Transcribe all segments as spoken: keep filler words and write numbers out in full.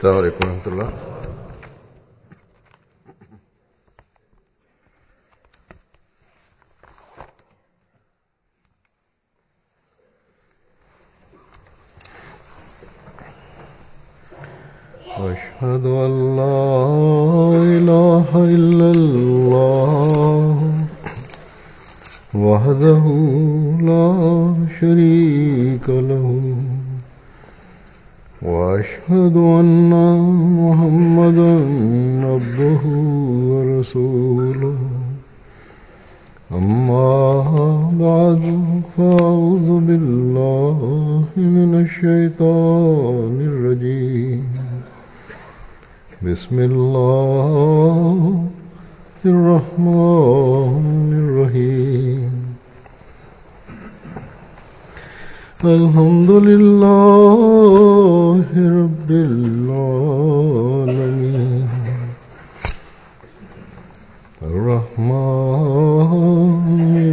السلام عليكم ورحمة الله. أشهد أن لا إله إلا الله وحده لا شريك له وأشهد أن محمدا عبده ورسوله أما بعد فأعوذ بالله من الشيطان الرجيم بسم الله الرحمن الرحيم الحمد لله رب العالمين الرحمن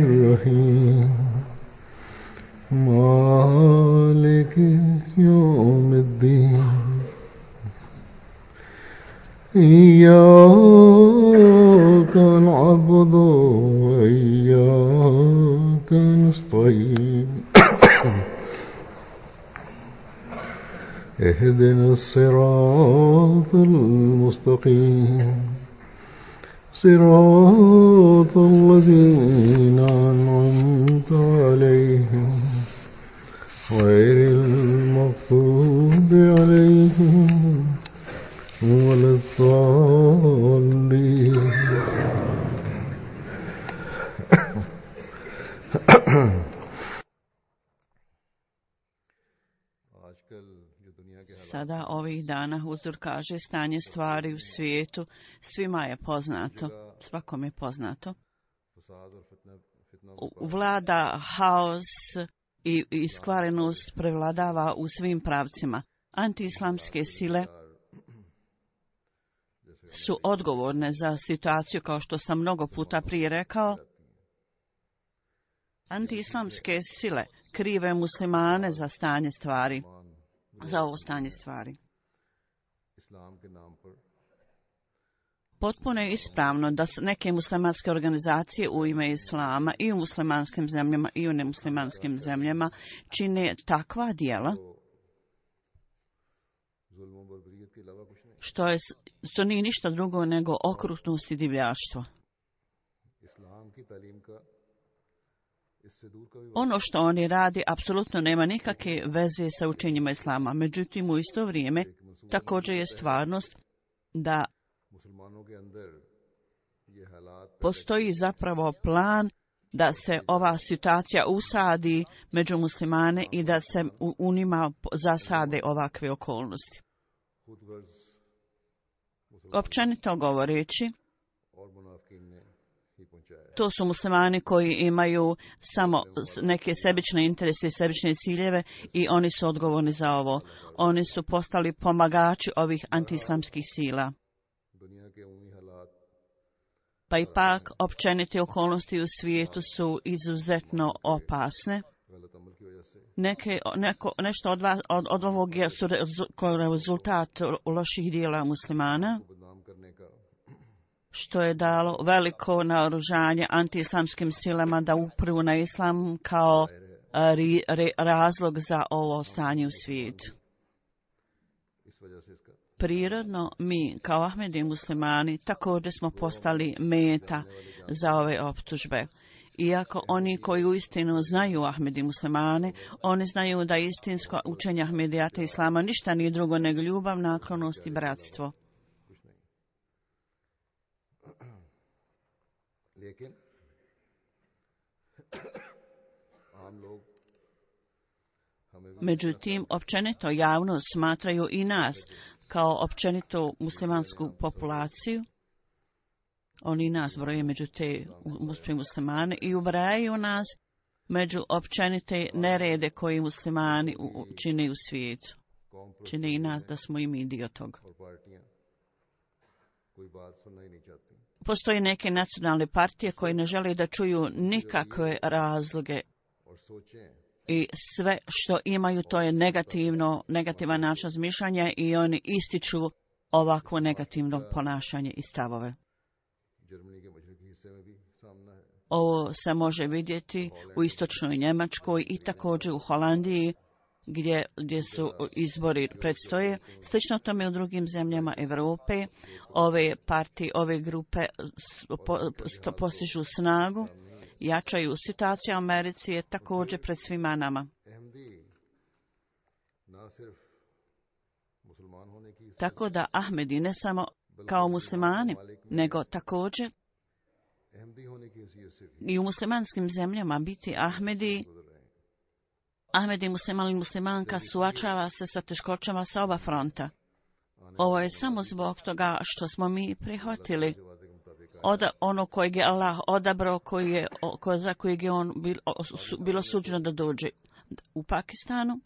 الرحيم مالك يوم الدين إياك نعبد وإياك نستعين اهدنا الصراط المستقيم صراط الذين أنعمت عليهم غير المغضوب عليهم ولا الضالين. Sada ovih dana Huzur kaže stanje stvari u svijetu svima je poznato, svakom je poznato. Vlada haos i iskvarenost prevladava u svim pravcima. Antiislamske sile su odgovorne za situaciju, kao što sam mnogo puta prije rekao. Antiislamske sile krive muslimane za stanje stvari, za ovo stanje stvari. Potpuno je ispravno da neke muslimanske organizacije u ime islama i u muslimanskim zemljama i u nemuslimanskim zemljama čine takva djela što, je, što nije ništa drugo nego okrutnost i divljaštvo. Ono što oni radi apsolutno nema nikakve veze sa učenjima islama. Međutim, u isto vrijeme također je stvarnost da postoji zapravo plan da se ova situacija usadi među muslimane i da se u, u njima zasade ovakve okolnosti. Općenito govoreći, to su muslimani koji imaju samo neke sebične interese i sebične ciljeve i oni su odgovorni za ovo. Oni su postali pomagači ovih antiislamskih sila. Pa ipak općenite okolnosti u svijetu su izuzetno opasne. Neke, neko, nešto od, vas, od, od ovog je su rezultat loših dijela muslimana, što je dalo veliko naoružanje antiislamskim silama da upru na islam kao ri, re, razlog za ovo stanje u svijetu. Prirodno, mi kao Ahmedi muslimani također smo postali meta za ove optužbe. Iako oni koji uistinu znaju Ahmedi muslimane, oni znaju da istinsko učenje Ahmedijata islama ništa nije drugo nego ljubav, naklonost i bratstvo. Međutim, općenito javnost smatraju i nas kao općenito muslimansku populaciju. Oni nas broje među te muslimane i ubrajaju nas među općenite nerede koji muslimani čine u svijetu. Čine i nas da smo i mi dio toga. Postoje neke nacionalne partije koje ne žele da čuju nikakve razloge i sve što imaju to je negativno, negativan način razmišljanja i oni ističu ovakvo negativno ponašanje i stavove. Ovo se može vidjeti u istočnoj Njemačkoj i također u Holandiji gdje, gdje su izbori predstoje. Slično tome u drugim zemljama Europe. Ove partije, ove grupe po, postižu snagu, jačaju. Situacija u Americi je također pred svima nama. Tako da Ahmedi ne samo kao muslimani, nego također i u muslimanskim zemljama biti Ahmedi, Ahmedi musliman ili muslimanka suočava se sa teškoćama sa oba fronta. Ovo je samo zbog toga što smo mi prihvatili od ono kojeg je Allah odabrao, koji je, ko, za kojeg je on bil, su, bilo suđeno da dođe u Pakistanu.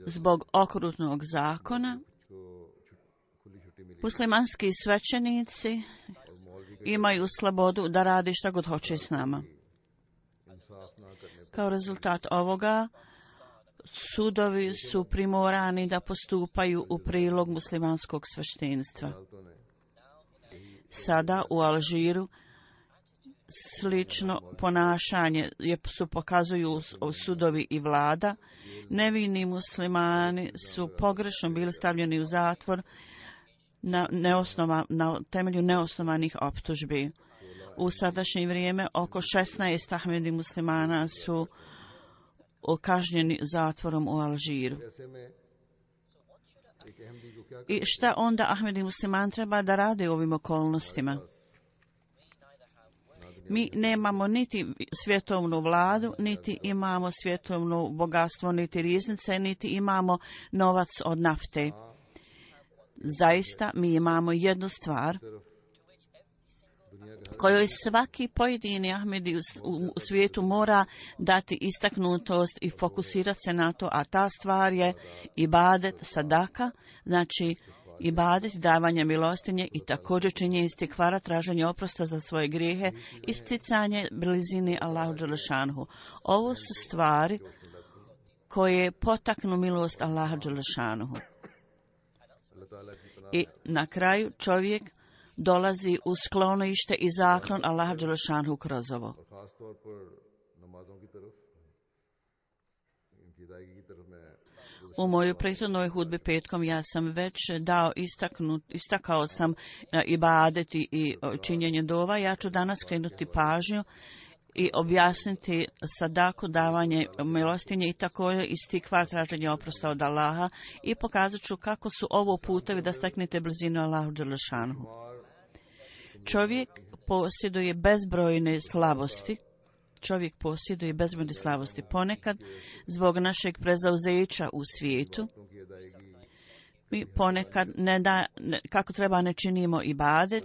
Zbog okrutnog zakona muslimanski svećenici imaju slobodu da radi šta god hoće s nama. Kao rezultat ovoga, sudovi su primorani da postupaju u prilog muslimanskog sveštenstva. Sada u Alžiru slično ponašanje je, su pokazuju sudovi i vlada. Nevini muslimani su pogrešno bili stavljeni u zatvor na, neosnova, na temelju neosnovanih optužbi. U sadašnje vrijeme oko šesnaest Ahmedi muslimana su kažnjeni zatvorom u Alžiru. I šta onda Ahmedi musliman treba da rade u ovim okolnostima? Mi nemamo niti svjetovnu vladu, niti imamo svjetovno bogatstvo, niti riznice, niti imamo novac od nafte. Zaista mi imamo jednu stvar kojoj svaki pojedini Ahmedi u svijetu mora dati istaknutost i fokusirati se na to, a ta stvar je ibadet, sadaka, znači ibadet, davanje milostinje i također činjenje istikvara, traženje oprosta za svoje grijehe, isticanje blizini Allahu dželešanhu. Ovo su stvari koje potaknu milost Allaha dželešanhu. I na kraju čovjek dolazi u sklonište i zaklon Allaha dželešanhu kroz ovo. U mojoj prethodnoj hudbi petkom ja sam već dao istaknut, istakao sam ibadet i činjenje dova. Ja ću danas skrenuti pažnju i objasniti sadaku, davanje milostinje i također istikvar, traženje oprosta od Allaha, i pokazat ću kako su ovo putevi da steknete blizinu Allahu dželešanhu. Čovjek posjeduje bezbrojne slabosti. Čovjek posjeduje bezbrojne slabosti. Ponekad, zbog našeg prezauzeća u svijetu, mi ponekad ne da, ne, kako treba ne činimo ibadet,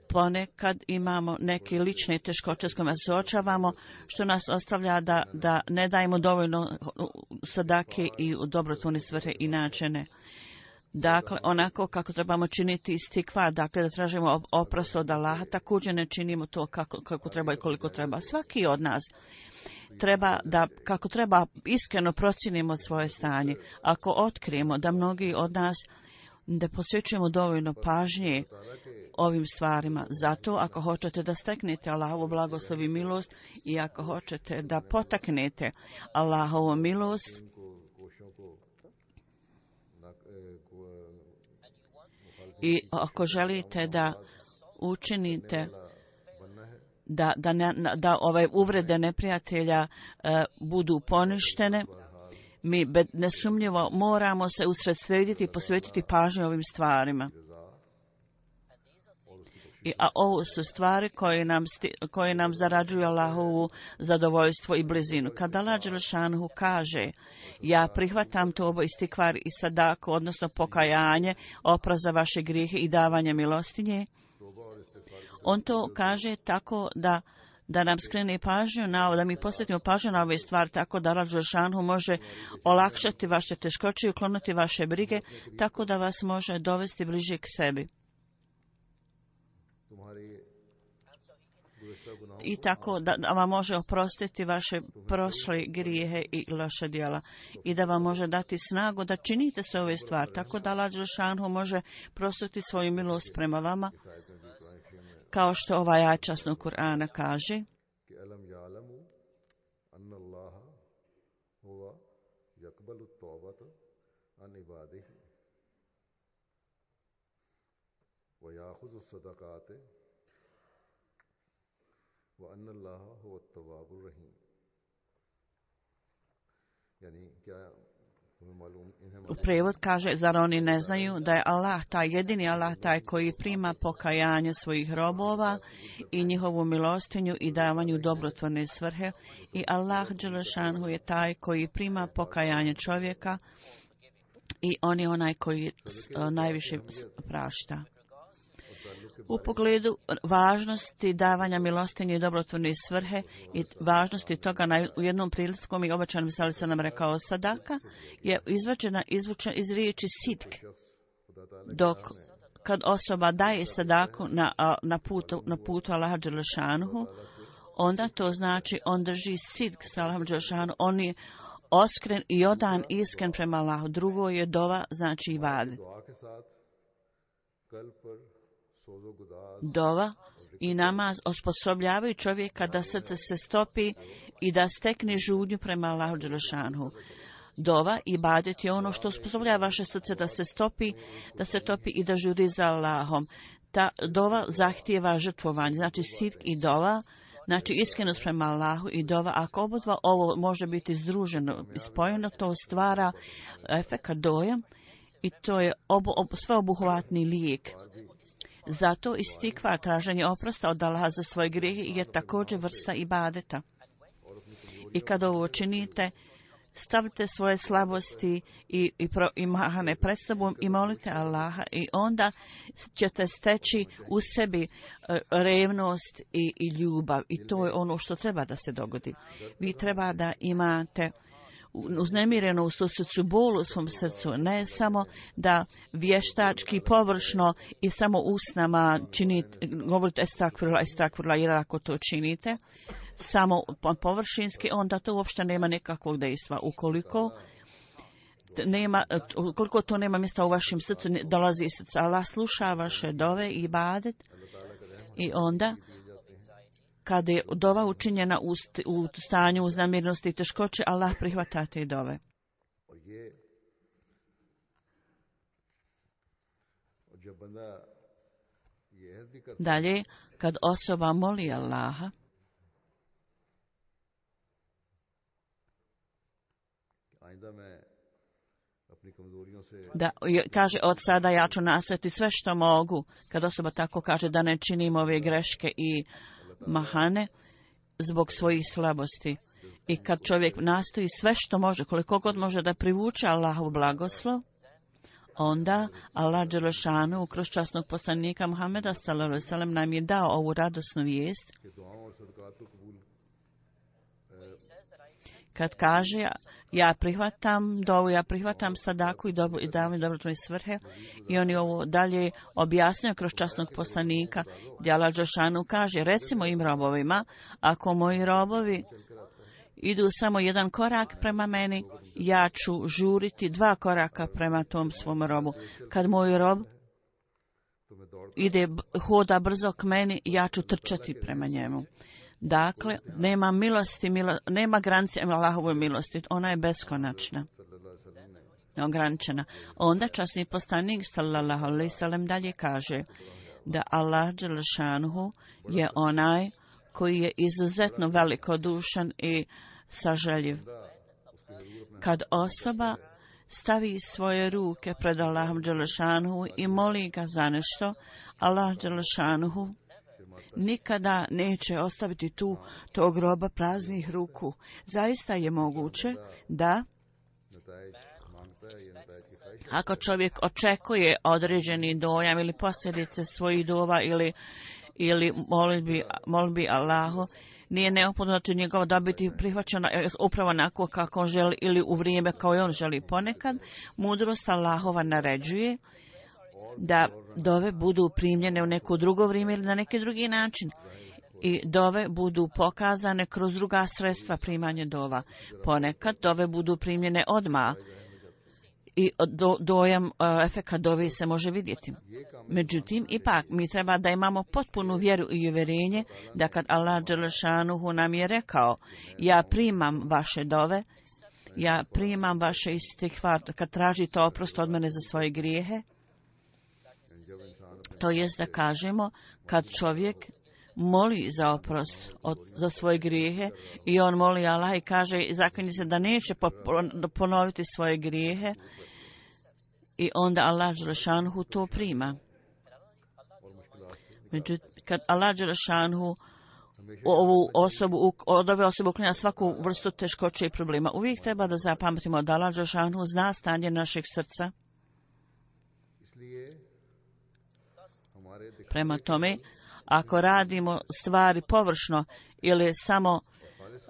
ponekad imamo neke lične teškoće s kojima se suočavamo, što nas ostavlja da, da ne dajemo dovoljno sadake i u dobrotvorne svrhe i načine. Dakle, onako kako trebamo činiti istikvar, dakle da tražimo oprost od Allaha, također ne činimo to kako, kako treba i koliko treba. Svaki od nas treba da, kako treba, iskreno procijenimo svoje stanje. Ako otkrijemo da mnogi od nas ne posvećujemo dovoljno pažnje ovim stvarima, zato ako hoćete da steknete Allahovu blagoslov i milost i ako hoćete da potaknete Allahovu milost, i ako želite da učinite da, da, ne, da ove uvrede neprijatelja e, budu poništene, mi nesumnjivo moramo se usredsrediti i posvetiti pažnju ovim stvarima. I, a ovo su stvari koje nam, sti, koje nam zarađuju Allahovu zadovoljstvo i blizinu. Kada Allah dželešanhu kaže, ja prihvatam tobo istikvar i sadaku, odnosno pokajanje, oprost za vaše grijehe i davanje milostinje, on to kaže tako da da nam skrene pažnju na ovo, da mi posvetimo pažnju na ove stvari, tako da Allah dželešanhu može olakšati vaše teškoće i ukloniti vaše brige, tako da vas može dovesti bliže k sebi. i tako da, da vam može oprostiti vaše prošle grijehe i loše djela i da vam može dati snagu da činite sve ove stvari. Tako da Allah dželešanu može prostiti svoju milost prema vama, kao što ovaj ajet časnog Kur'ana kaže. U prijevod kaže, zar oni ne znaju da je Allah taj, jedini Allah taj koji prima pokajanje svojih robova i njihovu milostinju i davanju dobrotvorne svrhe, i Allah dželešanu je taj koji prima pokajanje čovjeka i on je onaj koji najviše prašta. U pogledu važnosti davanja milostinje i dobrotvorne svrhe i važnosti toga, u jednom prilikom i obećan misali se nam rekao, sadaka je izvađena izvučena iz riječi sidk, dok kad osoba daje sadaku na, na putu, na putu Allaha dželešanuhu, onda to znači on drži sidk sa Allahom dželešanuhu, on je oskren i odan iskren prema Allahu. Drugo je dova, znači ibadet. Dova i namaz osposobljavaju čovjeka da srce se stopi i da stekne žudnju prema Allahu dželešanu. Dova i ibadet je ono što osposobljava vaše srce da se stopi, da se topi i da žuri za Allahom. Ta dova zahtijeva žrtvovanje, znači sidk i dova, znači iskrenost prema Allahu i dova. Ako obodva ovo može biti združeno i spojeno, to stvara efekat dojam i to je obo, obo, sveobuhvatni lijek. Zato istikvar, traženje oprosta od Allaha za svoje grijehe, je također vrsta ibadeta. I kad ovo činite, stavite svoje slabosti i, i, pro, i mahane pred sobom i molite Allaha, i onda ćete steći u sebi uh, revnost i, i ljubav. I to je ono što treba da se dogodi. Vi treba da imate uznemireno u srcu, bol u svom srcu, ne samo da vještački, površno i samo usnama činite, govorite estakfirullah, estakfirullah, jer ako to činite samo površinski, onda to uopšte nema nekakvog dejstva. Ukoliko nema, ukoliko to nema mjesta u vašem srcu, dolazi iz srca. Allah sluša vaše dove i ibadet, i onda kada je dova učinjena u, st- u stanju uznamirnosti i teškoće, Allah prihvata te dove. Dalje, kad osoba moli Allaha, da kaže, od sada ja ću nastojati sve što mogu, kad osoba tako kaže, da ne činim ove greške i mahane zbog svojih slabosti. I kad čovjek nastoji sve što može, koliko god može da privuče Allahov blagoslov, onda Allah dželešanu kroz časnog poslanika Muhameda sallallahu alejhi ve sellem nam je dao ovu radosnu vijest. Kad kaže, ja prihvatam dovu, ja prihvatam sadaku i, dobro, i davam dobrotvorne svrhe, i on je ovo dalje objasnio kroz časnog poslanika, gdje Allah dželešanu kaže, recimo im robovima, ako moji robovi idu samo jedan korak prema meni, ja ću žuriti dva koraka prema tom svom robu. Kad moj rob ide, hoda brzo k meni, ja ću trčati prema njemu. Dakle, nema milosti, milo, nema granice Allahove milosti, ona je beskonačna, ograničena. Onda časni poslanik sallallahu alejhi ve sellem dalje kaže da Allah dželešanuhu je onaj koji je izuzetno velikodušan i sažaljiv. Kad osoba stavi svoje ruke pred Allahom dželešanuhu i moli ga za nešto, Allah dželešanuhu nikada neće ostaviti tu tog roba praznih ruku. Zaista je moguće da ako čovjek očekuje određeni dojam ili posljedice svojih dova ili, ili molbi, molbi Allahu, nije neophodno da će njegova dobiti prihvaćena upravo onako kako on želi ili u vrijeme kao i on želi. Ponekad mudrost Allahova naređuje da dove budu primljene u neko drugo vrijeme ili na neki drugi način. i dove budu pokazane kroz druga sredstva primanja dova. Ponekad dove budu primljene odmah i do, dojam, uh, efekat dove se može vidjeti. Međutim, ipak mi treba da imamo potpunu vjeru i uvjerenje da kad Allah dželešanuhu nam je rekao ja primam vaše dove, ja primam vaše istikvar, kad tražite oprost od mene za svoje grijehe, to jest da kažemo kad čovjek moli za oprost od, za svoje grijehe i on moli Allah i kaže zaklinje se da neće ponoviti svoje grijehe i onda Allah dželešanuhu to prima. Međutim, kad Allah dželešanuhu ovu osobu, od ove osobe uklanja svaku vrstu teškoće i problema, uvijek treba da zapamtimo da Allah dželešanuhu zna stanje našeg srca. Prema tome, ako radimo stvari površno ili samo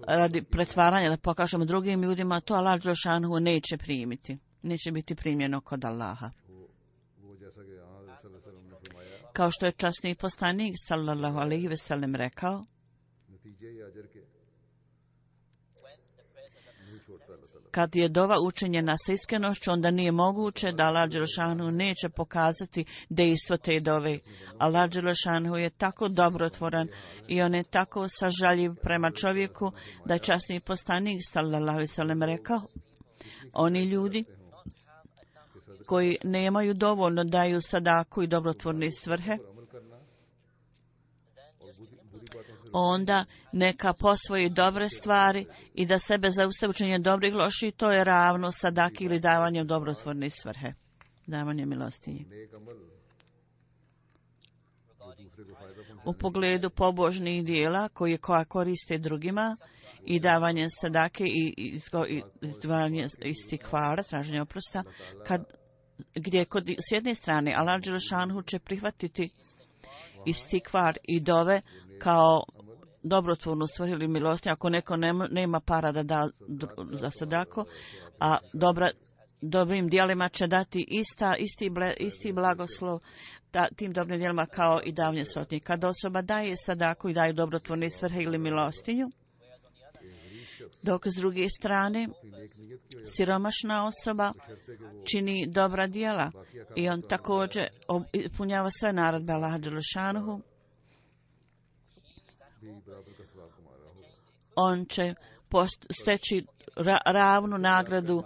radi pretvaranja da pokažemo drugim ljudima, to Allah dželešanuhu neće primiti. Neće biti primljeno kod Allaha. Kao što je časni poslanik sallallahu alejhi ve sellem rekao, kad je dova učinjena sa iskrenošću, onda nije moguće da Allah dželešanuhu neće pokazati dejstvo te dove. Allah dželešanuhu je tako dobrotvoran i on je tako sažaljiv prema čovjeku da je časni poslanik sallallahu alejhi ve sellem rekao, oni ljudi koji nemaju dovoljno daju sadaku i dobrotvorne svrhe, onda neka posvoji dobre stvari i da sebe zaustavi učenje dobrih loših, to je ravno sadaki ili davanje dobrotvorne svrhe, davanje milostinje. U pogledu pobožnih dijela koje koja koriste drugima i davanje sadake i, i, i, i davanje istikvara, traženje oprosta, kad, gdje kod, s jedne strane Allah dželešanuhu će prihvatiti istikvar i dove kao dobrotvornu svrhu ili milostinju, ako neko nema, nema para da da za sadaku, a dobra, dobrim djelima će dati ista, isti, ble, isti blagoslov da, tim dobrim djelima kao i davanje sotnje. Kad osoba daje sadaku i daje dobrotvorne svrhe ili milostinju, dok s druge strane siromašna osoba čini dobra djela i on također ispunjava sve naredbe Allaha dželešanuhu, on će post, steći ra, ravnu nagradu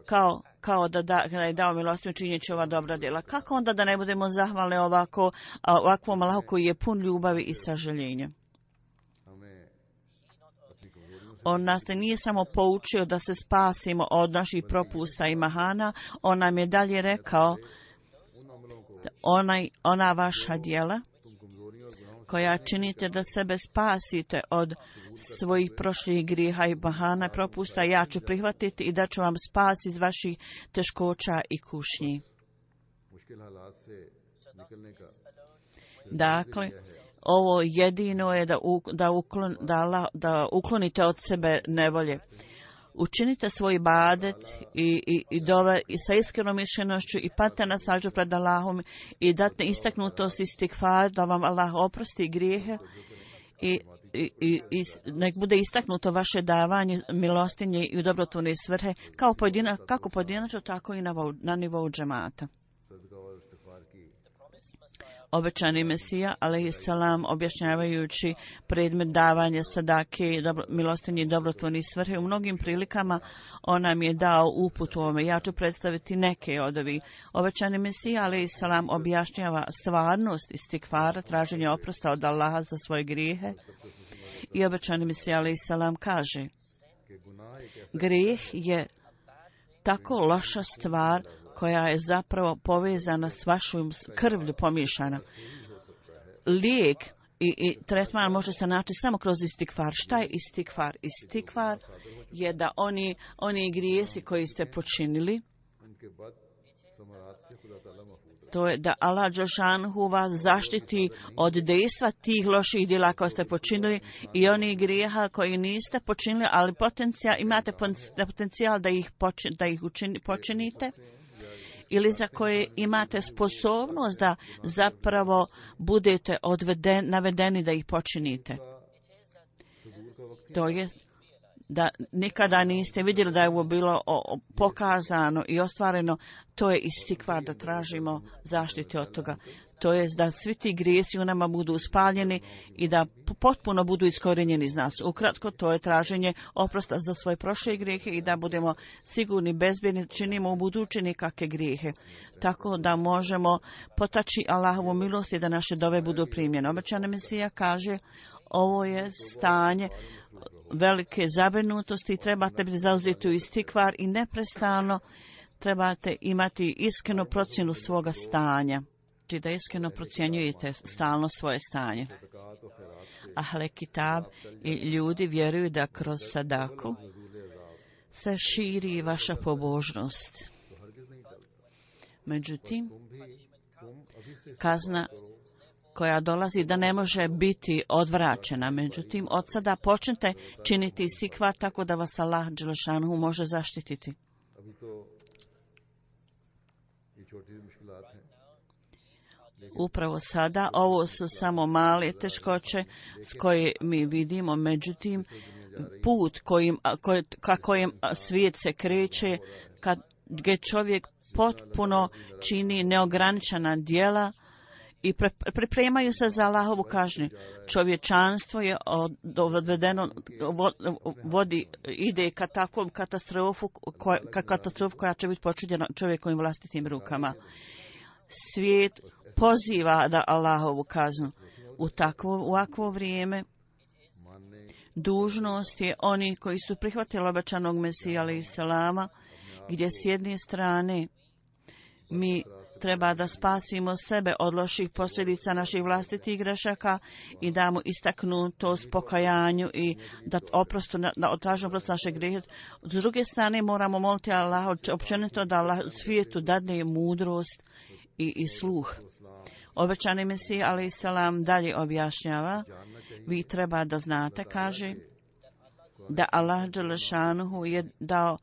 kao, kao da, da, da je dao milostinju činjeći ova dobra djela. Kako onda da ne budemo zahvalni ovako, ovakvom Allahu koji je pun ljubavi i sažaljenja? On nas nije samo poučio da se spasimo od naših propusta i mahana, on nam je dalje rekao onaj, ona vaša djela koja činite da sebe spasite od svojih prošlih grijeha i mahana i propusta, ja ću prihvatiti i da ću vam spas iz vaših teškoća i kušnji. Dakle, ovo jedino je da, u, da, uklon, da, da uklonite od sebe nevolje. Učinite svoj ibadet i, i, i dove i sa iskrenom mišljenošću i patite na sađu pred Allahom i date istaknutost istikfar da vam Allah oprosti grijehe i, i, i, i nek bude istaknuto vaše davanje milostinje i u dobrotvorne svrhe kao pojedina, kako pojedinačno tako i na, na nivou džemata. Obećani Mesija, alejhiselam, objašnjavajući predmet davanja sadake, dobro, milostinje i dobrotvorne svrhe, u mnogim prilikama on nam je dao uput u ovome. Ja ću predstaviti neke od ovih. Obećani Mesija, alejhiselam, objašnjava stvarnost istikvara, traženja oprosta od Allaha za svoje grijehe. I obećani Mesija, alejhiselam, kaže, grijeh je tako loša stvar koja je zapravo povezana s vašom krvlju pomiješana. Lijek i, i tretman može se naći samo kroz istikvar. Šta je istikvar? Istikvar je da oni, oni grijesi koji ste počinili, to je da Allah dželešanuhu vas zaštiti od dejstva tih loših djela koje ste počinili i onih grijeha koji niste počinili, ali potencijal, imate potencijal da ih, počin, da ih učini, počinite. ili za koje imate sposobnost da zapravo budete odveden, navedeni da ih počinite. To je da nikada niste vidjeli da je ovo bilo pokazano i ostvareno, to je istikvar da tražimo zaštite od toga. To je da svi ti grijesi u nama budu uspaljeni i da potpuno budu iskorenjeni iz nas. Ukratko, to je traženje oprosta za svoje prošle grijehe i da budemo sigurni, bezbjedni, činimo u budući nikakve grijehe. Tako da možemo potaći Allahovu milost i da naše dove budu primljene. Obećani Mesija kaže, ovo je stanje velike zabrinutosti i trebate biti zauzeti u istikvar i neprestano trebate imati iskrenu procjenu svoga stanja. Znači da iskreno procjenjujete stalno svoje stanje. Ahle Kitab i ljudi vjeruju da kroz sadaku se širi vaša pobožnost. Međutim, kazna koja dolazi da ne može biti odvraćena. Međutim, od sada počnite činiti istikvar tako da vas Allah dželešanuhu može zaštititi. Upravo sada, ovo su samo male teškoće s koje mi vidimo, međutim, put kojim, koj, ka kojem svijet se kreće, kad gdje čovjek potpuno čini neograničena djela i pre, pripremaju se za Allahovu kažnju. Čovječanstvo je odvedeno, vodi, ide ka takvom katastrofu, koja, ka katastrofu koja će biti počinjena čovjekovim vlastitim rukama. Svijet poziva da Allahovu kaznu. U takvo, u ovakvo vrijeme dužnost je oni koji su prihvatili obećanog Mesija alejhi selama, gdje s jedne strane mi treba da spasimo sebe od loših posljedica naših vlastitih grešaka i damo istaknutost pokajanju i da oprostu, da otražimo oprost naše grijehe. S druge strane moramo moliti Allaha općenito da Allah svijetu dadne mudrost i, i sluh. Obećani Mesija alejhi selam dalje objašnjava, vi treba da znate, kaže, da Allah dželešanuhu je dao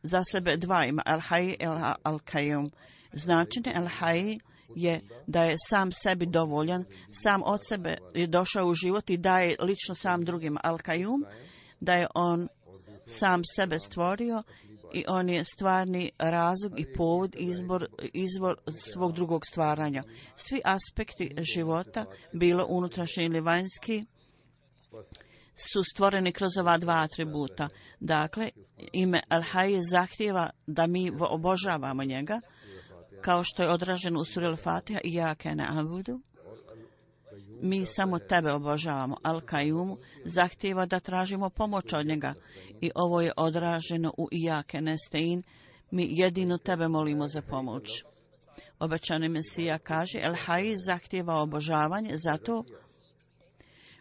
za sebe dva ima, al-Hay i al-Qayyum. Značenje al-Hay je da je sam sebi dovoljan, sam od sebe je došao u život i daje lično sam drugima. Al-Qayyum, da je on sam sebe stvorio i on je stvarni razlog i povod, izbor, izvor svog drugog stvaranja. Svi aspekti života, bilo unutrašnji ili vanjski, su stvoreni kroz ova dva atributa. Dakle, ime Al-Hay zahtijeva da mi obožavamo njega, kao što je odraženo u suri Al-Fatiha, Iyake na'budu. Mi samo tebe obožavamo. Al-Qayyum zahtijeva da tražimo pomoć od njega. I ovo je odraženo u Iyake nasta'in. Mi jedino tebe molimo za pomoć. Obećani Mesija kaže, Al-Hay zahtijeva obožavanje zato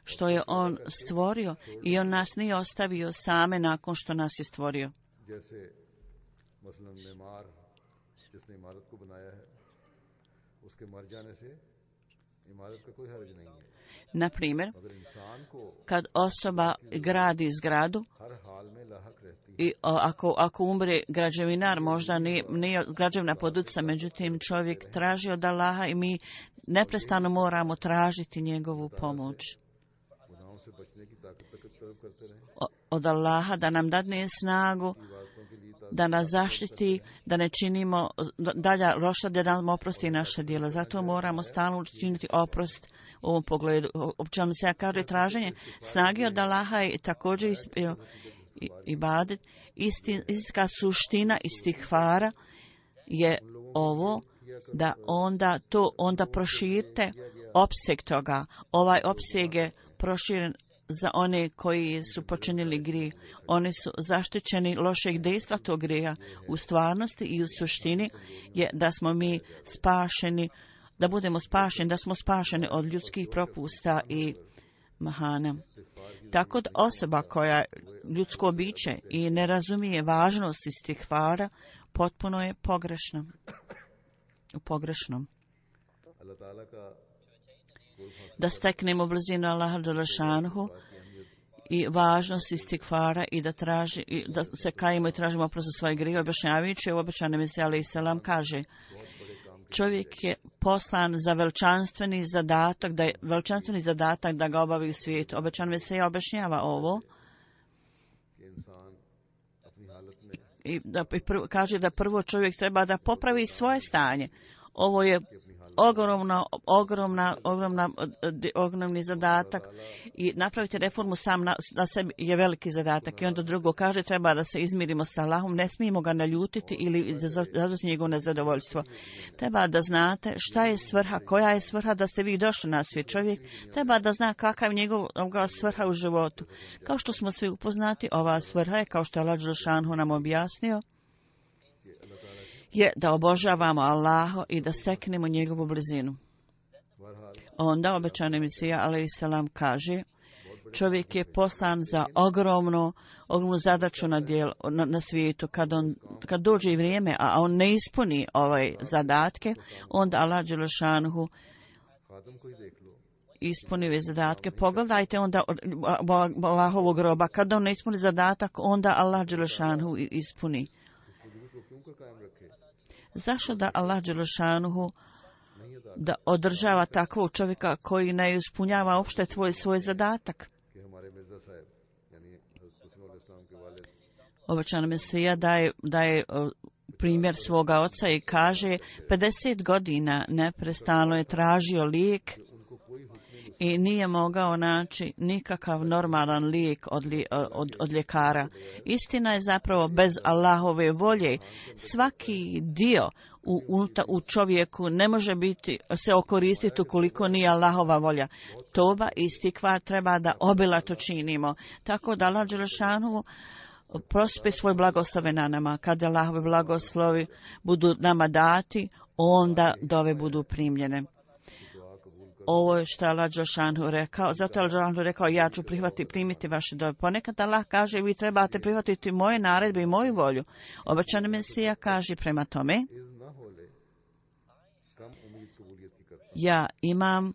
što je on stvorio i on nas nije ostavio same nakon što nas je stvorio. Na primjer, kad osoba gradi zgradu i ako, ako umre građevinar, možda nije, nije građevna poduca, međutim čovjek traži od Allaha i mi neprestano moramo tražiti njegovu pomoć od Allaha da nam dadne snagu, da nas zaštiti, da ne činimo dalja loša, da nam oprosti naše djela. Zato moramo stalno učiniti oprost u ovom pogledu. Općeno se ja kaže traženje snage od Allaha i također ibadet. Istinska suština istikfara je ovo, da onda to onda proširite opseg toga. Ovaj opseg je proširen za one koji su počinili grijeh. Oni su zaštićeni lošeg dejstva tog grijeha. U stvarnosti i u suštini je da smo mi spašeni, da budemo spašeni, da smo spašeni od ljudskih propusta i mahana. Tako da osoba koja ljudsko biće i ne razumije važnost istikfara, potpuno je pogrešna. U pogrešnom. Da steknemo blizinu Allaha dželešanuhu i važnost istikfara i da, traži, i da se kajimo i tražimo oprost za svoje grijehe, objašnjavajući u obećanom Mesija alejhi selam kaže: čovjek je poslan za veličanstveni zadatak, da je veličanstveni zadatak da ga obavi u svijetu. Obećan Mesija objašnjava ovo i da i prvo, kaže da prvo čovjek treba da popravi svoje stanje. Ovo je ogromna, ogromna, ogromna, ogromni zadatak i napraviti reformu sam na, na sebi je veliki zadatak. I onda drugo kaže treba da se izmirimo sa Allahom, ne smijemo ga naljutiti ili zadati njegovo nezadovoljstvo. Treba da znate šta je svrha, koja je svrha da ste vi došli na svijet. Čovjek treba da zna kakav je njegova svrha u životu. Kao što smo svi upoznati, ova svrha je, kao što je Allah dželešanu nam objasnio, je da obožavamo Allaha i da steknemo njegovu blizinu. Onda obećani Mesija alejhi selam kaže: čovjek je poslan za ogromno, ogromnu zadaću na, dijel, na, na svijetu. Kad, on, kad dođe i vrijeme, a on ne ispuni ovaj zadatke, onda Allah dželešanu ispuni ove zadatke. Pogledajte onda Allahovog groba. Kad on ne ispuni zadatak, onda Allah dželešanu ispuni. Zašto da Allah dželešanu da održava takvog čovjeka koji ne ispunjava uopšte tvoj svoj zadatak? Obećan Mesija daje, daje primjer svoga oca i kaže: pedeset godina neprestano je tražio lijek i nije mogao naći nikakav normalan lijek od, li, od, od ljekara. Istina je zapravo bez Allahove volje svaki dio u, u, u čovjeku ne može biti se okoristiti ukoliko nije Allahova volja. Toba i istikvar treba da obilato činimo. Tako da Allah dželešanu prospe svoj blagoslove na nama. Kada Allahove blagoslovi budu nama dati, onda dove budu primljene. Ovo je što je Allah dželešanu rekao. Zato je Allah dželešanu rekao: ja ću prihvati, primiti vaše dove. Ponekad Allah kaže: vi trebate prihvatiti moje naredbe i moju volju. Obećani Mesija kaže prema tome: ja imam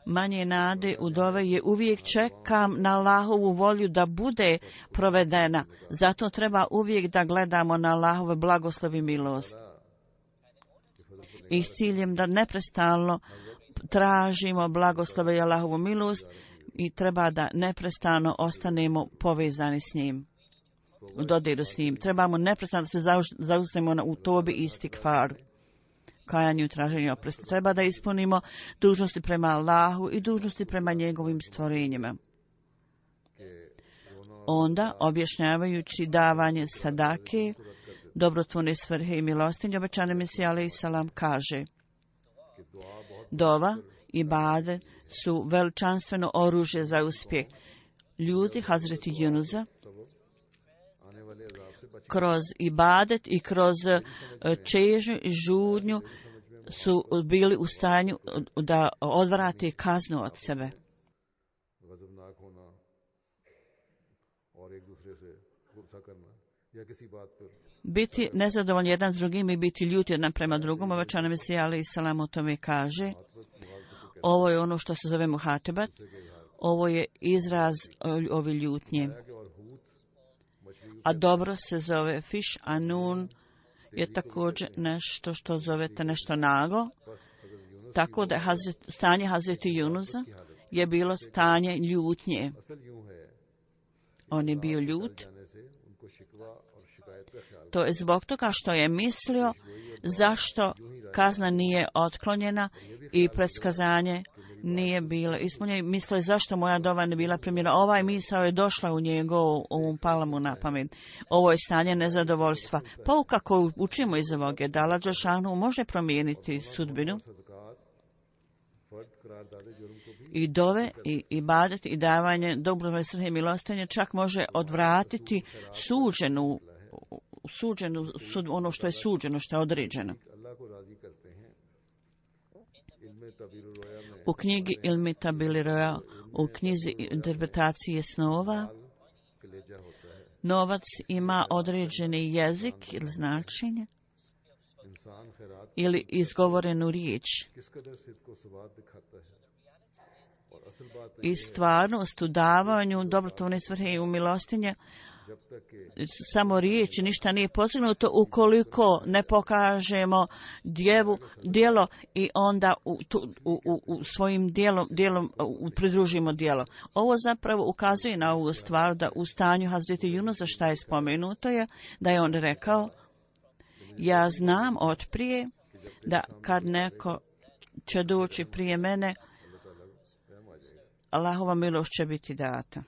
manje nade u dove, je uvijek čekam na Allahovu volju da bude provedena. Zato treba uvijek da gledamo na Allahove blagoslovi i milost. I s ciljem da neprestalno tražimo blagoslove i Allahovu milost i treba da neprestano ostanemo povezani s njim, u dodiru s njim. Trebamo neprestano da se zaustavimo u tobi i istikfaru, kajanju i traženju oprosta. Treba da ispunimo dužnosti prema Allahu i dužnosti prema njegovim stvorenjima. Onda, objašnjavajući davanje sadake, dobrotvorne svrhe i milostinje, obećani Mesija alejhi selam kaže: dova i ibadet su veličanstveno oružje za uspjeh. Ljudi Hazreti Junusa kroz ibadet i kroz čežnju i žudnju su bili u stanju da odvrate kaznu od sebe. Biti nezadovoljni jedan s drugim i biti ljuti jedan prema drugom, obećani Mesija alejhi selam o tome kaže: ovo je ono što se zove muhatebat, ovo je izraz ove ljutnje. A dobro se zove fiš, a nun je također nešto što zovete nešto nago. Tako da Hazret, stanje Hazreti Junusa je bilo stanje ljutnje. On je bio ljut. To je zbog toga što je mislio zašto kazna nije otklonjena i predskazanje nije bilo ispunjeno. Mislio je zašto moja dova ne bila primljena. Ovaj misao je došla u njegovu, ovom palamu na pamet. Ovo je stanje nezadovoljstva. Pouka koju učimo iz ovog je da Allah dželešanu može promijeniti sudbinu. I dove, i ibadet, i davanje dobrotvorne svrhe i milostinje čak može odvratiti suđenu, suđenu, sud, ono što je suđeno, što je određeno. U knjigi Ilmi Tabili Roja, u knjizi interpretacije snova, novac ima određeni jezik ili značenje ili izgovorenu riječ. i stvarnost u davanju dobrotvorne svrhe i u milostinje. Samo riječi, ništa nije postignuto ukoliko ne pokažemo djevu, djelo i onda u, tu, u, u, u svojim djelom, djelom u, pridružimo djelo. Ovo zapravo ukazuje na ovu stvar da u stanju Hazreti Junusa šta je spomenuto je da je on rekao: ja znam od prije da kad neko će doći prije mene, Allahova milost će biti data.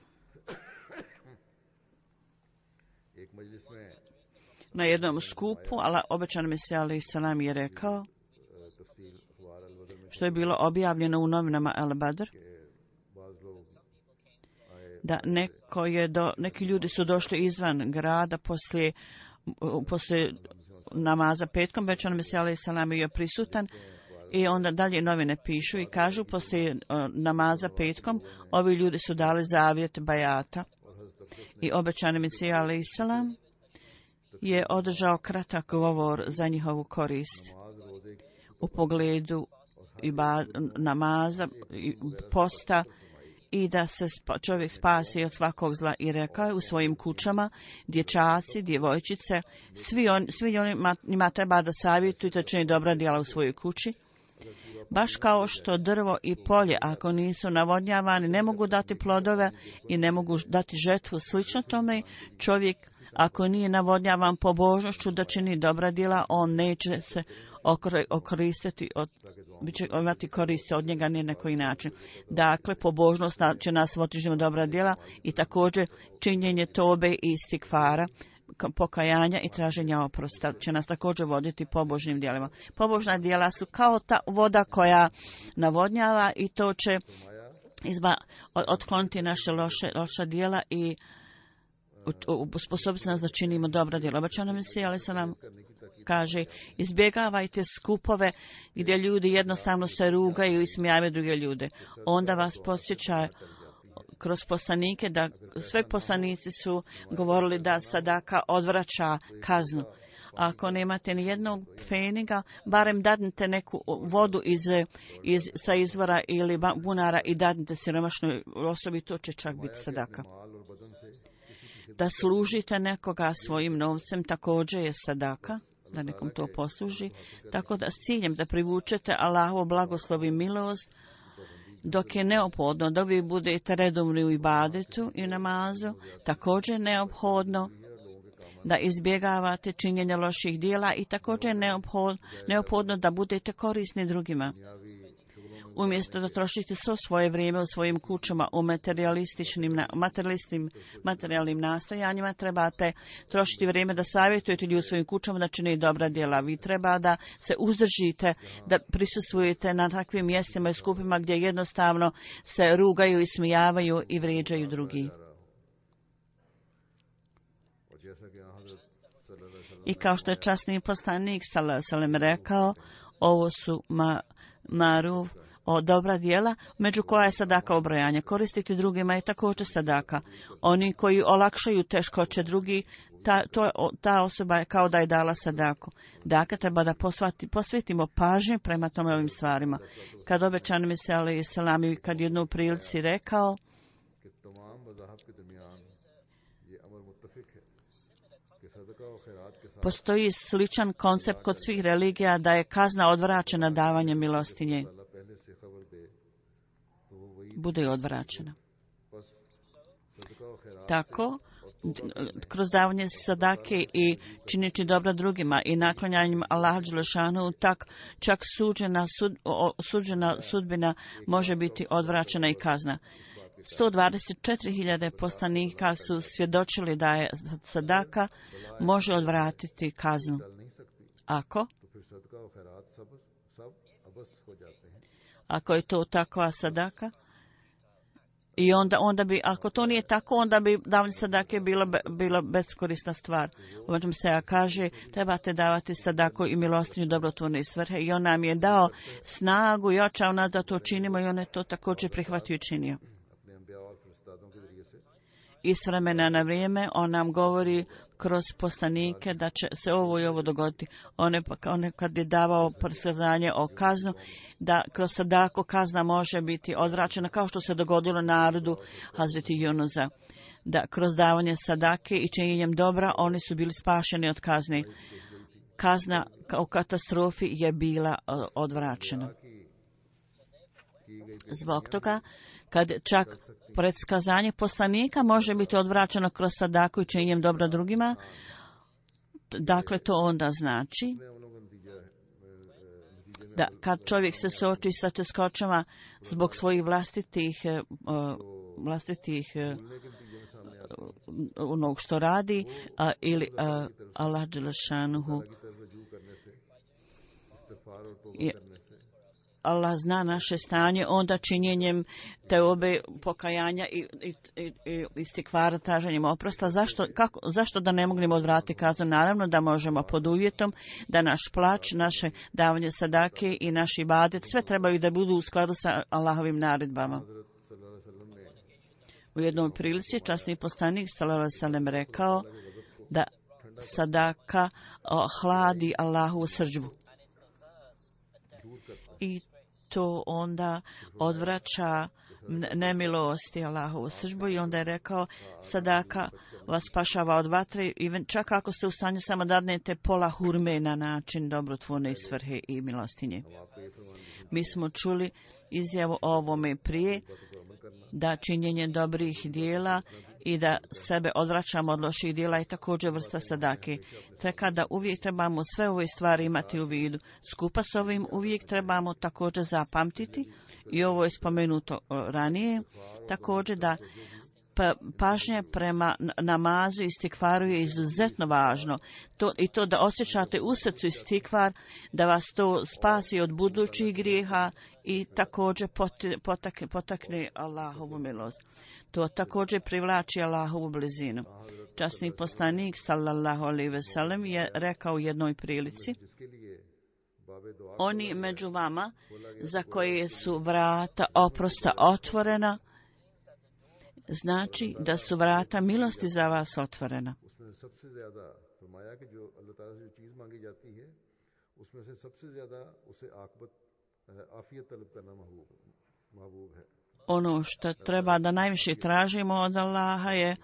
Na jednom skupu, ali obećan Mesija alejhi selam je rekao, što je bilo objavljeno u novinama Al Badr, da neko je do, neki ljudi su došli izvan grada poslije, poslije namaza petkom, obećan Mesija alejhi selam je prisutan. I onda dalje novine pišu i kažu poslije namaza petkom ovi ljudi su dali zavjet bajata i obećani Mesija alejhi selam je održao kratak govor za njihovu korist u pogledu iba namaza i posta i da se čovjek spasi od svakog zla i rekao je u svojim kućama, dječaci, djevojčice, svi, on, svi oni njima treba da savjetuju da čini dobra djela u svojoj kući. Baš kao što drvo i polje, ako nisu navodnjavani, ne mogu dati plodove i ne mogu dati žetvu. Slično tome, čovjek, ako nije navodnjavan pobožnošću da čini dobra djela, on neće se okoristiti, od, bit će imati koristi od njega ni na koji način. Dakle, pobožnost će nas voditi dobra djela i također činjenje tobe i istikfara, pokajanja i traženja oprosta će nas također voditi pobožnim djelima. Pobožna djela su kao ta voda koja navodnjava i to će izba, otkloniti naše loše, loša djela i sposobiti nas da činimo dobra djela. Obećano Mesija alejhi selam kaže: izbjegavajte skupove gdje ljudi jednostavno se rugaju i smijavaju druge ljude. Onda vas podsjeća kroz poslanike da sve poslanici su govorili da sadaka odvraća kaznu. Ako nemate ni jednog pfeniga, barem dadnite neku vodu iz, iz, sa izvora ili bunara i dadnite siromašnoj osobi, to će čak biti sadaka. Da služite nekoga svojim novcem također je sadaka, da nekom to posluži, tako da s ciljem da privučete Allahovu blagoslov i milost, dok je neophodno da vi budete redovni u ibadetu i namazu, također neophodno da izbjegavate činjenje loših djela i također neophodno, neophodno da budete korisni drugima. Umjesto da trošite svo svoje vrijeme u svojim kućama u materialističnim, materialistim, materijalnim nastojanjima, trebate trošiti vrijeme da savjetujete ljudi u svojim kućama da čine dobra djela. Vi treba da se uzdržite, da prisustvujete na takvim mjestima i skupima gdje jednostavno se rugaju i smijavaju i vrijeđaju drugi. I kao što je časni poslanik sallallahu alejhi ve sellem rekao, ovo su ma, maruf, o dobra djela, među koja je sadaka obrajanje. Koristiti drugima je također sadaka. Oni koji olakšaju teškoće drugi, ta, to, ta osoba je kao da je dala sadaku. Dakle, treba da posvati, posvetimo pažnju prema tome ovim stvarima. Kad obećan Mesija alejhi selam i kad jednu prilici rekao, postoji sličan koncept kod svih religija da je kazna odvraćena davanjem milostinje. Bude odvraćena. Tako, kroz davanje sadake i čineći dobra drugima i naklanjanjem Allaha dželešanu, tak čak suđena, sud, suđena sudbina može biti odvraćena i kazna. sto dvadeset četiri hiljade poslanika su svjedočili da je sadaka može odvratiti kaznu. Ako? Ako je to takva sadaka? I onda, onda bi, ako to nije tako, onda bi davanje sadake bilo, bilo beskorisna stvar. Uvažem se ja kaže, trebate davati sadaku i milostinju dobrotvorne svrhe i on nam je dao snagu i očao nas da to činimo i on je to također prihvatio i činio. I s vremena na vrijeme on nam govori kroz poslanike da će se ovo i ovo dogoditi. One, one kad je davao predskazanje o kaznu, da kroz sadaku kazna može biti odvraćena, kao što se dogodilo narodu Hazreti Junusa. Da kroz davanje sadake i činjenjem dobra oni su bili spašeni od kazne. Kazna u katastrofi je bila odvraćena. Zbog toga, kad čak predskazanje poslanika može biti odvraćeno kroz sadaku i činjenjem dobra drugima, dakle to onda znači da kad čovjek se suoči sa teškoćama zbog svojih vlastitih vlastitih onog što radi a, ili a, Allah dželešanuhu Allah zna naše stanje, onda činjenjem teobe, pokajanja i, i, i, i istikvara, traženjem oprosta. Zašto, kako, zašto da ne mognemo odvratiti kaznu? Naravno da možemo pod uvjetom da naš plač, naše davanje sadake i naš ibadet, sve trebaju da budu u skladu sa Allahovim naredbama. U jednoj prilici časni poslanik sallallahu alejhi ve sellem rekao da sadaka o, hladi Allahovu srdžbu. I to onda odvraća nemilosti Allahovu srdžbu i onda je rekao sadaka vas spašava od vatre i čak ako ste u stanju samo dadnete pola hurme na način dobrotvorne svrhe i milostinje. Mi smo čuli izjavu o ovome prije da činjenje dobrih dijela i da sebe odvraćamo od loših dijela je također vrsta sadake. Tako da uvijek trebamo sve ove stvari imati u vidu. Skupa s ovim uvijek trebamo također zapamtiti, i ovo je spomenuto ranije, također da pažnja prema namazu i istikvaru je izuzetno važno. To, I to da osjećate u srcu istikvar, da vas to spasi od budućih grijeha i također potakne, potakne Allahovu milost. To također privlači Allahovu blizinu. Časni poslanik sallallahu alejhi ve sellem je rekao u jednoj prilici: oni među vama za koje su vrata oprosta otvorena, znači da su vrata milosti za vas otvorena. Ono što treba da najviše tražimo od Allaha je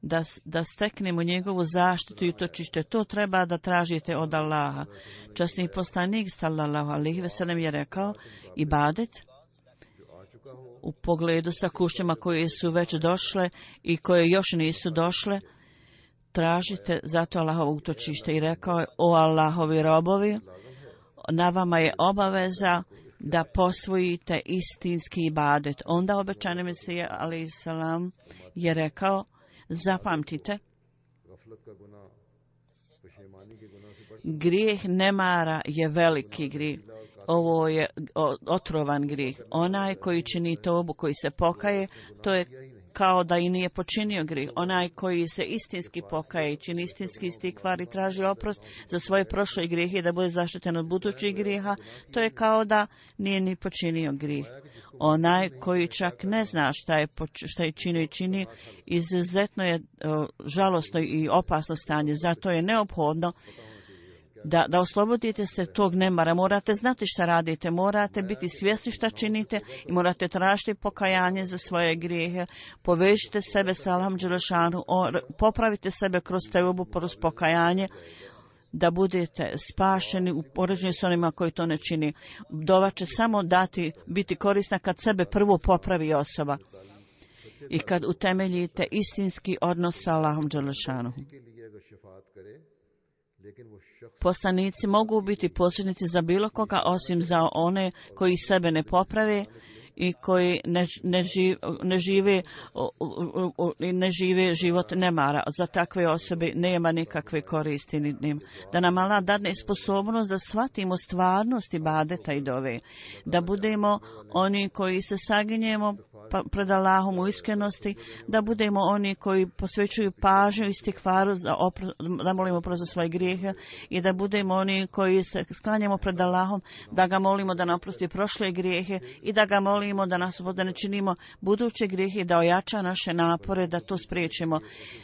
da, da steknemo njegovu zaštitu i utočište. To treba da tražite od Allaha. Časni poslanik sallallahu alejhi ve sellem je rekao: ibadet u pogledu sa kućama koje su već došle i koje još nisu došle, tražite zato Allahovo utočište. I rekao je: o Allahovi robovi, na vama je obaveza da posvojite istinski ibadet. Onda obećani Mesija alejhi selam je rekao: zapamtite, grijeh nemara je veliki grijeh. Ovo je otrovan grijeh. Onaj koji čini tobu, koji se pokaje, to je kao da i nije počinio grijeh. Onaj koji se istinski pokaje i čini istinski istikvar i traži oprost za svoje prošle grijehe da bude zaštiten od budućih grijeha, to je kao da nije ni počinio grijeh. Onaj koji čak ne zna šta je, šta je činio i čini, izuzetno je o, žalosno i opasno stanje. Zato je neophodno Da, da oslobodite se tog nemara. Morate znati šta radite, morate biti svjesni šta činite i morate tražiti pokajanje za svoje grijehe. Povežite sebe sa Allahom dželešanu, popravite sebe kroz teubu, kroz pokajanje, da budete spašeni u poređenju s onima koji to ne čini. Dova će samo dati, biti korisna kad sebe prvo popravi osoba i kad utemeljite istinski odnos sa Allahom dželešanu. Poslanici mogu biti posrednici za bilo koga osim za one koji sebe ne poprave i koji ne, ne, živ, ne, žive, ne žive život nemara. Za takve osobe nema nikakve koristi. Da nam Allah dadne sposobnost da shvatimo stvarnost ibadeta i dove. Da budemo oni koji se saginjemo pred Allahom u iskrenosti, da budemo oni koji posvećuju pažnju i istikfaru, da molimo oprost za svoje grijehe i da budemo oni koji se sklanjamo pred Allahom, da ga molimo da nam oprosti prošle grijehe i da ga molimo da nas da ne činimo buduće grijehe, da ojača naše napore, da to spriječimo,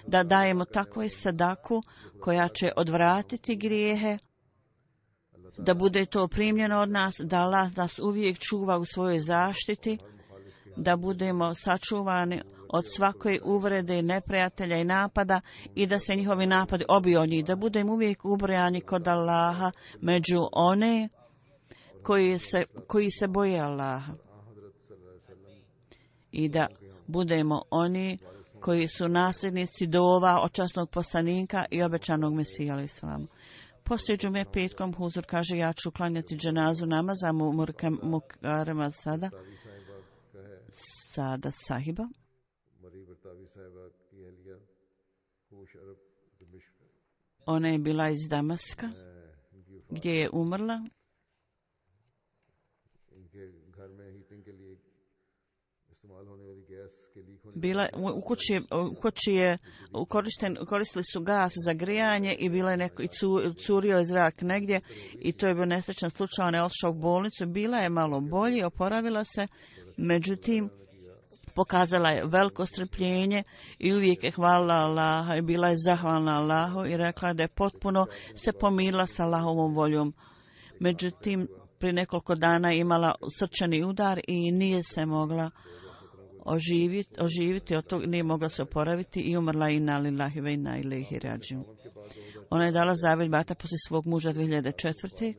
da dajemo takvu sadaku koja će odvratiti grijehe, da bude to primljeno od nas, da Allah nas uvijek čuva u svojoj zaštiti, da budemo sačuvani od svake uvrede, neprijatelja i napada i da se njihovi napadi obiju od njih, da budemo uvijek ubrojani kod Allaha među one koji se, koji se boje Allaha i da budemo oni koji su nasljednici dova od časnog poslanika i obećanog Mesija alejhi selam. Poslije džume petkom huzur kaže ja ću klanjati dženazu namaza Mukarrema sada Sadat sahiba. Ona je bila iz Damaska gdje je umrla. Bila, u kući, u kući je korišten, koristili su gas za grijanje i bila je neko, i curio je zrak negdje i to je bio nesrećan slučaj, ona je otišla u bolnicu, bila je malo bolje, oporavila se, međutim pokazala je veliko strpljenje i uvijek je hvalila Allaha i bila je zahvalna Allahu i rekla da je potpuno se pomirila sa Allahovom voljom. Međutim, prije nekoliko dana imala srčani udar i nije se mogla oživiti, oživiti od toga, nije mogla se oporaviti i umrla inna lillahi ve inna ilaihi rađiun. Ona je dala zavjet bata poslije svog muža dvije hiljade četvrte.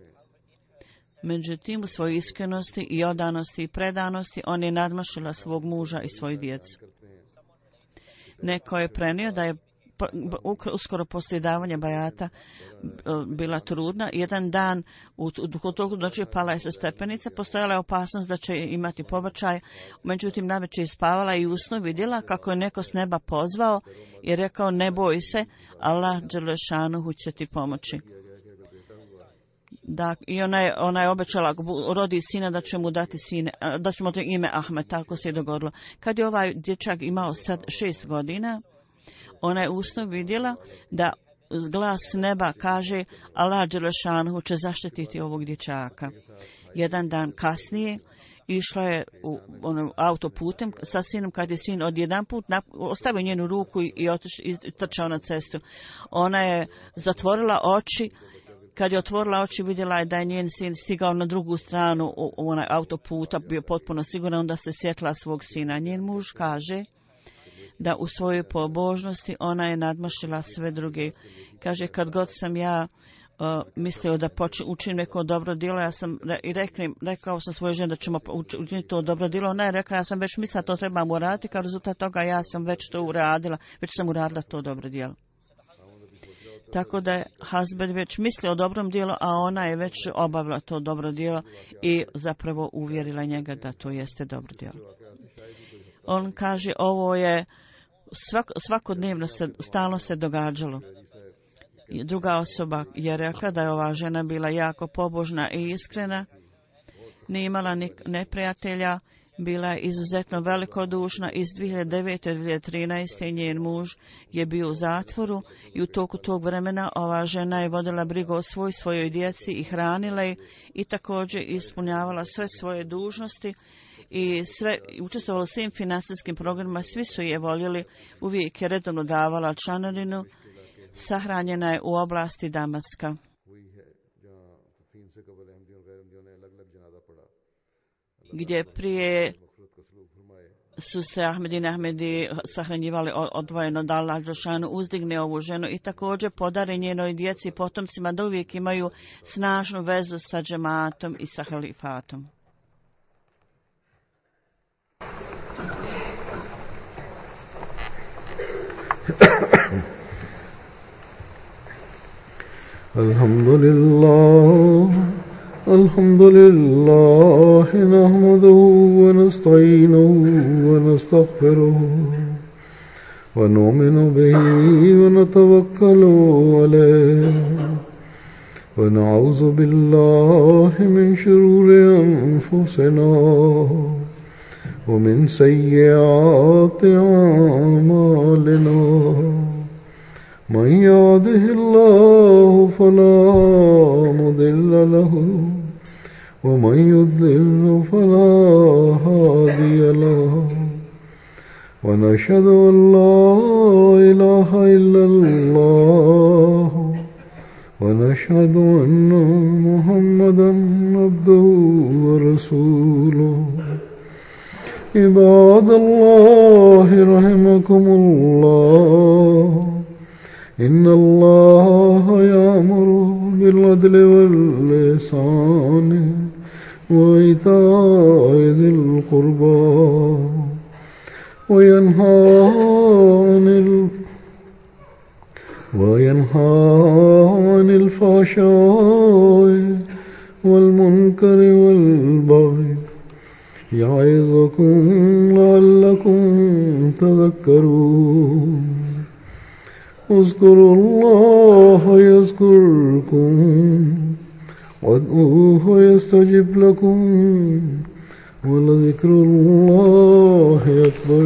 Međutim, u svojoj iskrenosti i odanosti i predanosti on je nadmašila svog muža i svoju djecu. Neko je prenio da je uskoro poslije davanja bajata bila trudna. Jedan dan u toku noći pala je sa stepenica, postojala je opasnost da će imati pobačaj, međutim navečer je spavala i u snu vidjela kako je neko s neba pozvao i rekao ne boj se, Allah dželešanuhu će ti pomoći. Da, i ona je, ona je obećala rodi sina da će mu dati sine, da će mu dati ime Ahmed, tako se je dogodilo. Kad je ovaj dječak imao sad šest godina, ona je usno vidjela da glas neba kaže Allah dželešanuhu će zaštititi ovog dječaka. Jedan dan kasnije išla je u onom autoputem sa sinom kad je sin odjedanput ostavio njenu ruku i, otiš, i trčao na cestu. Ona je zatvorila oči. Kad je otvorila oči, vidjela je da je njen sin stigao na drugu stranu u, u onaj autoputa, bio potpuno siguran, onda se sjetila svog sina. Njen muž kaže da u svojoj pobožnosti ona je nadmašila sve druge. Kaže, kad god sam ja uh, mislio da počin, učinim neko dobro djelo, ja sam i rekli, rekao sam svojoj ženi da ćemo učiniti to dobro djelo. Ona je rekla, ja sam već mislila to trebam uraditi, kao rezultat toga ja sam već to uradila, već sam uradila to dobro djelo. Tako da je Hazbed već mislio o dobrom dijelu, a ona je već obavila to dobro djelo i zapravo uvjerila njega da to jeste dobro djelo. On kaže, ovo je svak, svakodnevno se, stalno se događalo. I druga osoba je rekla da je ova žena bila jako pobožna i iskrena, nije imala ni neprijatelja, bila je izuzetno velikodušna. Iz dvije hiljade devete do dvije hiljade trinaeste njen muž je bio u zatvoru i u toku tog vremena ova žena je vodila brigu o svoj, svojoj djeci i hranila ih i također ispunjavala sve svoje dužnosti i sve, učestvovala u svim finansijskim programima, svi su je voljeli, uvijek je redovno davala članarinu, sahranjena je u oblasti Damaska. Gdje prije su se Ahmedin Ahmedi sahranjivali odvojeno da Allah dželešanu uzdigne ovu ženu i također podari njenoj djeci i potomcima da uvijek imaju snažnu vezu sa džematom i sa halifatom. Alhamdulillah الحمد لله نحمده ونستعينه ونستغفره ونؤمن به ونتوكل عليه ونعوذ بالله من شرور أنفسنا ومن سيئات أعمالنا من يهده الله فلا مضل له ومن يضلل فلا هادي له ونشهد أن لا إله إلا الله ونشهد أن محمدا عبده ورسوله عباد الله رحمكم الله إن الله يأمر بالعدل والإحسان وإيتاء ذي القربى وينهى عن ال... وينهى عن الفحشاء والمنكر والبغي يعظكم لعلكم تذكرون اذكروا الله يذكركم وادعوه يستجب لكم ولذكر الله أكبر.